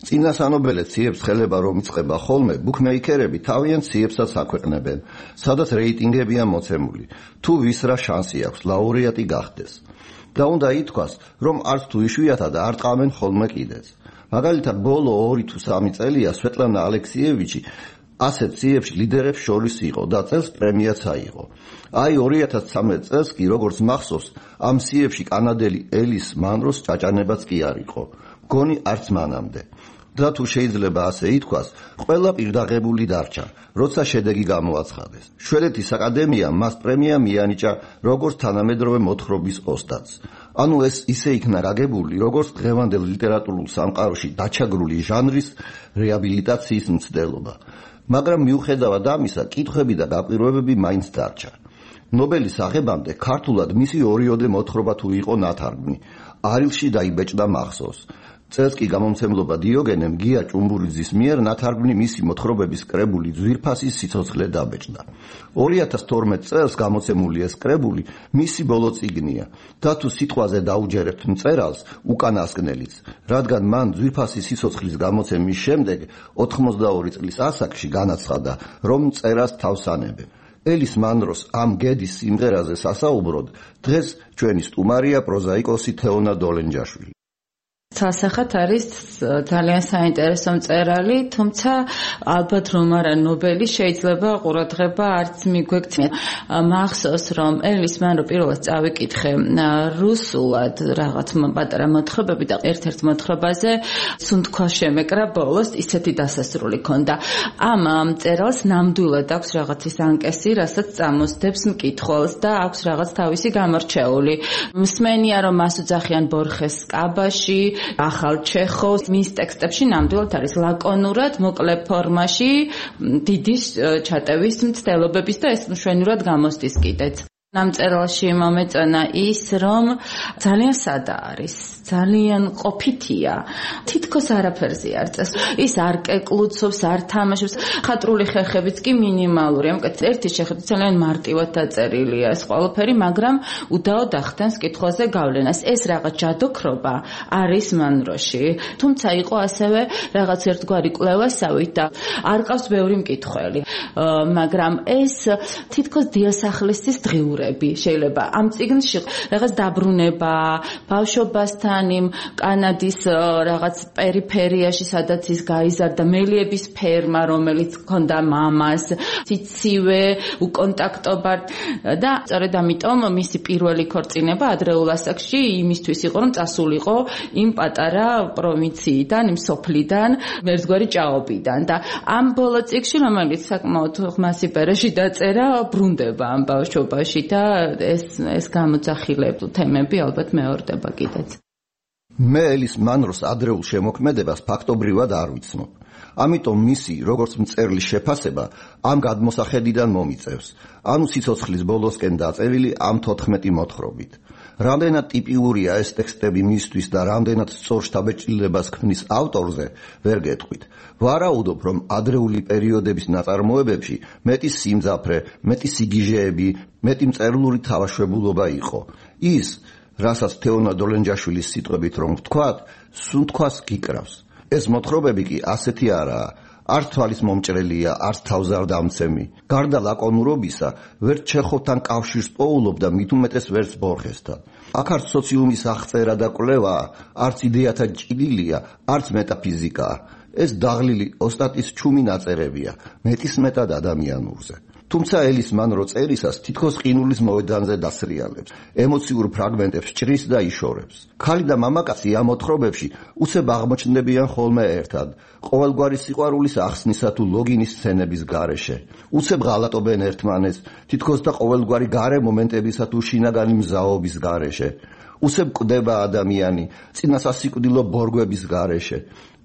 წინასანობელე ციებს ხელება რომ იწყება ხოლმე, ბუქმეიქერები თავიანთ ციებსაც აქვეყნებენ, სადაც რეიტინგებია მოცემული, თუ ვის რა შანსი აქვს ლაურეატი გახდეს. და უნდა ითქვას, რომ არც თუ იშვიათად არ ტყავენ ხოლმე კიდეც. მაგალითად, ბოლო 2 თუ 3 წელია სვეტლანა ალექსიევიჩი ასეთ ციებში ლიდერებს შორის იყო და წელს პრემიაც აიღო. აი 2013 წელს კი, როგორც მახსოვს, ამ ციებში კანადელი ელის მანროს ჭაჭანებაც კი არ იყო. მგონი არც მანამდე. და თუ შეიძლება ასე ითქვას, ყველა პირდაღებული დარჩა, როცა შედეგი გამოაცხადეს. შვედეთის აკადემიამ მას პრემია მიანიჭა როგორც თანამედროვე მოთხრობის ოსტატს. ანუ ეს ისე იქნა გაგებული, როგორც დღევანდელ ლიტერატურულ სამყაროში დაჩაგრული ჟანრის რეაბილიტაციის მცდელობა. მაგრამ მიუხედავად ამისა, კითხვები და გაკვირვებები მაინც დარჩა. ნობელის აღებამდე ქართულად მისი ორიოდე მოთხრობა თუ იყო ნათარგმნი, არილში დაიბეჭდა მახსოვს. წელს კი გამომცემლობა დიოგენემ გია ჭუმბურიძის მიერ ნათარგმნი მისი მოთხრობების კრებული ძვირფასის სიცოცხლე დაბეჭდა. 2012 წელს გამოცემული ეს კრებული მისი ბოლო წიგნია და თუ სიტყვაზე დაუჯერებთ მწერალს, უკანასკნელიც, რადგან მან ძვირფასის სიცოცხლის გამოცემის შემდეგ 82 წლის ასაკში განაცხადა, რომ მწერას თავს ანებებ. ელის მანროს ამ გედის სიმღერაზე სასაუბროდ დღეს ჩვენი სტუმარია პროზაიკოსი თეონა დოლენჯაშვილი. სასახად არის ძალიან საინტერესო მწერალი, თუმცა ალბათ რომ არა ნობელი, შეიძლება ყურადღება არც მიგვექცია. მახსოვს რომ ელის მანრო პირველად წავიკითხე რუსულად რაღაც პატარა მოთხრობები და ერთ-ერთ მოთხრობაზე სუნთქვა შემეკრა ბოლოს ისეთი დასასრული ქონდა. ამ მწერალს ნამდვილად აქვს რაღაცის ანკესი, რასაც წამოსდებს მკითხველს და აქვს რაღაც თავისი გამორჩეული. მსმენია რომ მას უძახიან ბორხეს კაბაში, ახალ ჩეხოვს, მის ტექსტებში ნამდვილად არის ლაკონურად, მოკლე ფორმაში, დიდი ჩატევის მცდელობების და ეს მშვენივრად გამოსდის კიდეც. ამ მწერალში მომეწონა ის, რომ ძალიან სადა არის, ძალიან ყოფითია, თითქოს არაფერზე არ წეს. ის არ კეკლუცობს, არ თამაშობს, ხატრული ხერხებიც კი მინიმალურია. ერთი შეხედვით ძალიან მარტივად დაწერილია ეს ყველაფერი, მაგრამ უდაოდ ახდენს კითხვაზე გავლენას. ეს რაღაც ჯადოქრობა არის მანროში, თუმცა იყო ასევე რაღაც ერთგვარი კვლევასავით და არ ყავს ბევრი მკითხველი. მაგრამ ეს თითქოს დიასახლისის დღიურები შეიძლება ამ წიგნში რაღაც დაბრუნება, ბავშვობასთან იმ კანადის რაღაც პერიფერიაში, სადაც ის გაიზარდა, მელიების ფერმა, რომელიც ჰქონდა მამას, ციცივე, უკონტაქტობა და სწორედ ამიტომ მისი პირველი ქორწინება ადრეულ ასაკში იმისთვის იყო, რომ წასულიყო იმ პატარა პროვინციიდან, იმ სოფლიდან, მერცგვარი ჭაობიდან და ამ ბოლო წიგნში, რომელიც საკმაოდ ხმასი პერეში დაწერა, ბრუნდება ამ ბავშვობაში და ეს გამოძახილებ თემები ალბათ მეორდება კიდეც. მე ელის მანროს ადრეულ შემოქმედებას ფაქტობრივად არ ვიცნობ. ამიტომ მისი, როგორც მწერლის შეფასება, ამ გადმოსახედიდან მომიწევს, ანუ სიცოცხლის ბოლოსკენ დაწერილი ამ 14 მოთხრობით. რამდენად ტიპიურია ეს ტექსტები მისთვის და რამდენად სწორ შთაბეჭდილებას ქმნის ავტორზე, ვერ გეტყვით. ვარაუდობ, რომ ადრეული პერიოდების ნაწარმოებებში მეტი სიმძაფრე, მეტი სიგიჟეები, მეტი მწერლური თავაშვებულობა იყო. ის, რასაც თეონა დოლენჯაშვილის სიტყვებით რომ ვთქვათ, სუნთქვას გიკრავს. ეს მოთხრობები კი ასეთი არაა. არც თვალის მომჭრელია, არც თავს არ დამცემი. გარდა ლაკონურობისა, ვერც ჩეხოვთან კავშირს პოულობ და მით უმეტეს ვერც ბორხესთან. აქ არც სოციუმის აღწერა და კვლევაა, არც იდეათა ჭიდილია, არც მეტაფიზიკაა. ეს დაღლილი ოსტატის ჩუმი ნაწერებია, მეტისმეტად ადამიანურზე. თუმცა ელის მანრო წერისას თითქოს ყინულის მოედანზე დასრიალებს, ემოციურ ფრაგმენტებს ჭრის და იშორებს. ქალი და მამაკაცი ამ მოთხრობებში უცებ აღმოჩნდებიან ხოლმე ერთად, ყოველგვარი სიყვარულის ახსნისა თუ ლოგინის სცენების გარეშე. უცებ ღალატობენ ერთმანეთს, თითქოს და ყოველგვარი გარე მომენტებისა თუ შინაგანი მზაობის გარეშე. უცებ კვდება ადამიანი, წინასასიკვდილო ბორგვების გარეშე.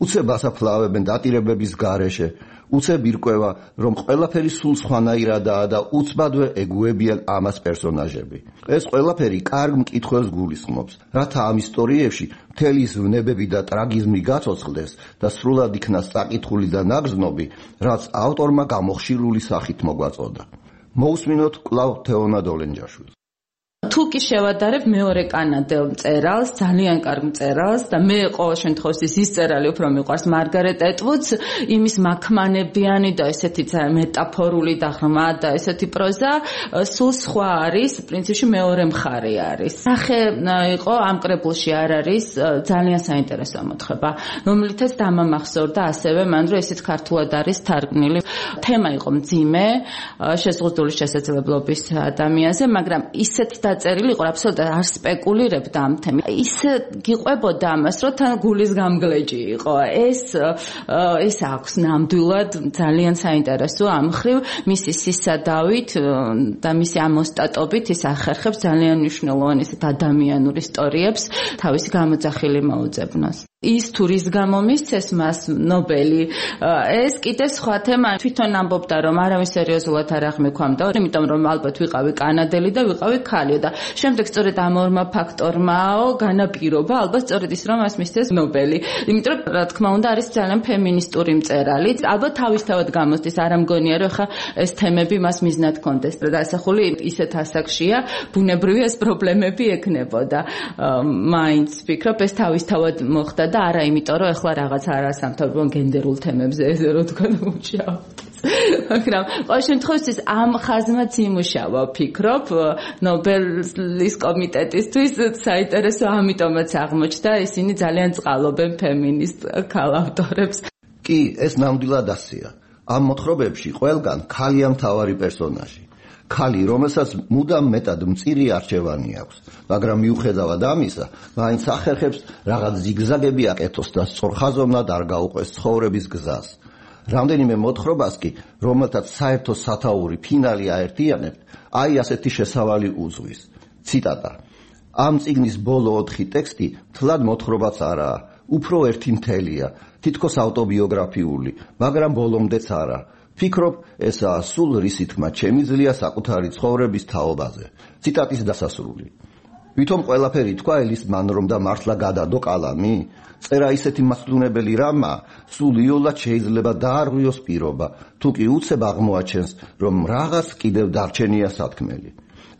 უცებ ასაფლავებენ დატირებების გარეშე. უცებ ირკვევა, რომ ყველაფერი სულ სხვანაირადაა და უცბადვე ეგუებიან ამას პერსონაჟები. ეს ყველაფერი კარგ მკითხველს გულისხმობს, რათა ამ ისტორიებში მთელი ის ვნებები და ტრაგიზმი გაცოცხლდეს და სრულად იქნას საკითხული და ნაგრძნობი, რაც ავტორმა გამოხშირული სახით მოგვაწოდა. მოусმინოთ კვლავ თეონა დოლენჯაშვილს. თუ კი შევადარებ მეორე კანადელ მწერალს, ძალიან კარგ მწერალს და მე ყოველ შემთხვევაში ის მწერალი უფრო მიყვარს მარგარეტ ეტვუდს, იმის მაქმანებიანი და ესეთი მეტაფორული და ღრმა და ესეთი პროზა სულ სხვა არის, პრინციპში მეორე მხარე არის. სახე იყო ამ კრებულში არ არის ძალიან საინტერესო მოთხრობა, რომლითაც დამამახსოვრდა ასევე მან, რომ ესეც ქართულად არის თარგმნილი. თემა იყო მძიმე, შეზღუდული შესაძლებლობის ადამიანზე, მაგრამ ისეთი დაწერილი იყო, აბსოლუტურად არ სპეკულირებდა ამ თემით. ისე გიყვებოდა ამას, რომ თან გულის გამგლეჯი იყო. ეს აქვს ნამდვილად ძალიან საინტერესო ამ მხრივ მისი სისადავით და მისი ამოსტატობით ის ახერხებს ძალიან მნიშვნელოვან ისეთ ადამიანურ ისტორიებს თავისი გამოძახილი მოუძებნოს. ის თუ რის გამო მისცეს მას ნობელი, ეს კიდე სხვა თემა. თვითონ ამბობდა, რომ არავინ სერიოზულად არ აღმექვამდა, იმიტომ რომ ალბათ ვიყავი კანადელი და ვიყავი ქალიო და შემდეგ სწორედ ამ ორმა ფაქტორმაო განაპირობა ალბათ სწორედ ის, რომ მას მისცეს ნობელი. იმიტომ რომ რა თქმა უნდა არის ძალიან ფემინისტური მწერალი. ალბათ თავისთავად გამოსდის, არ ამგონია რომ ხა ეს თემები მას მიზნად კონდეს და ასახული ისეთ ასაკშია, ბუნებრივი ეს პრობლემები ექნებოდა. მაინც ვფიქრობ ეს თავისთავად მოხდა და არა იმიტომ რომ ეხლა რაღაც არასამთავრობო გენდერულ თემებზე რო თქვა მუშაობთ. მაგრამ ყოველ შემთხვევაში ამ ხაზმაც იმუშავა ვფიქრობ ნობელის კომიტეტისთვის საინტერესო ამიტომაც აღმოჩნდა ისინი ძალიან წყალობენ ფემინისტ ქალ ავტორებს. კი, ეს ნამდვილად ასეა. ამ მოთხრობებში ყველგან ქალია მთავარი პერსონაჟი. ქალი, რომელსაც მუდამ მეტად მწირი არჩევანი აქვს, მაგრამ მიუხედავად ამისა, მაინც ახერხებს რაღაც ზიგზაგები აკეთოს და სწორხაზოვნად არ გაუყვეს ცხოვრების გზას. რამდენიმე მოთხრობას კი, რომელთაც საერთო სათაური ფინალი აერთიანებთ, აი ასეთი შესავალი უძღვის. ციტატა: ამ წიგნის ბოლო 4 ტექსტი თლად მოთხრობაც არაა, უფრო ერთი მთელია, თითქოს ავტობიოგრაფიული, მაგრამ ბოლომდეც არა. ფიქრობ, ესაა სულ რისი თქმა შემიძლია საკუთარი ცხოვრების თაობაზე. ციტატის დასასრული. ვითომ ყველაფერი თქვა ელის მან რომ და მართლა გადადო კალამი? წერა ისეთი მასწავლებელი რამა, სულ იოლად შეიძლება დაარღვიოს პირობა, თუ კი უცებ აღმოაჩენს, რომ რაღაც კიდევ დარჩენია სათქმელი.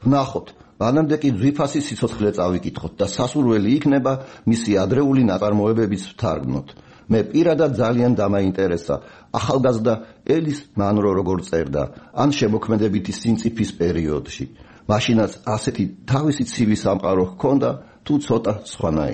ვნახოთ, მანამდე კი ძვირფასი სიცოცხლე წავიკითხოთ და სასურველი იქნება მისი ადრეული ნაწარმოებებიც ვთარგმნოთ. მე პირადად ძალიან დამაინტერესა ახალგაზრდა ელის მანრო როგორ წერდა, ან შემოქმედებითი სიმწიფის პერიოდში. მაშინაც ასეთი თავისი ცივი სამყარო ჰქონდა, თუ ცოტა სხვანაირი.